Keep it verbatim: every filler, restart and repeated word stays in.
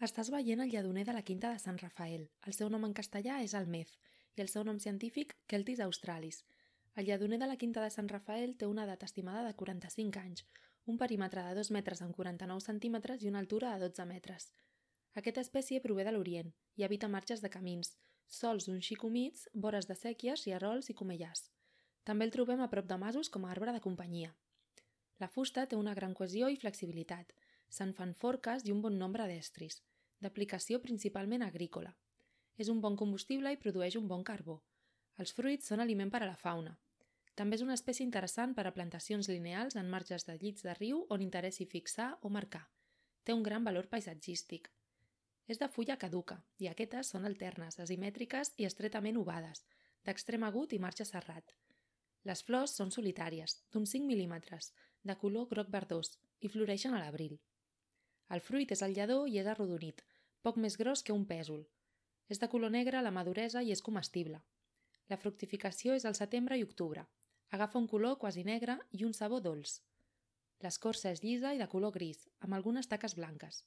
Estàs veient el lledoner de la Quinta de Sant Rafael. El seu nom en castellà és almez i el seu nom científic Celtis australis. El lledoner de la Quinta de Sant Rafael té una edat estimada de quaranta-cinc anys, un perímetre de dos metres amb quaranta-nou centímetres i una altura de dotze metres. Aquesta espècie prové de l'Orient i habita marges de camins, sòls un xic humits, vores de séquies, rierols i comellars. També el trobem a prop de masos com a arbre de companyia. La fusta té una gran cohesió i flexibilitat. Se'n fan forques i un bon nombre d'estris, d'aplicació principalment agrícola. És un bon combustible i produeix un bon carbó. Els fruits són aliment per a la fauna. També és una espècie interessant per a plantacions lineals en marges de llits de riu on interessi fixar o marcar. Té un gran valor paisatgístic. És de fulla caduca i aquestes són alternes, asimètriques i estretament ovades, d'extrem agut i marge serrat. Les flors són solitàries, d'uns cinc mil·límetres, de color groc verdós i floreixen a l'abril. El fruit és el lledó i és arrodonit, poc més gros que un pèsol. És de color negre a la maduresa i és comestible. La fructificació és al setembre i octubre. Agafa un color quasi negre i un sabor dolç. L'escorça és llisa i de color gris, amb algunes taques blanques.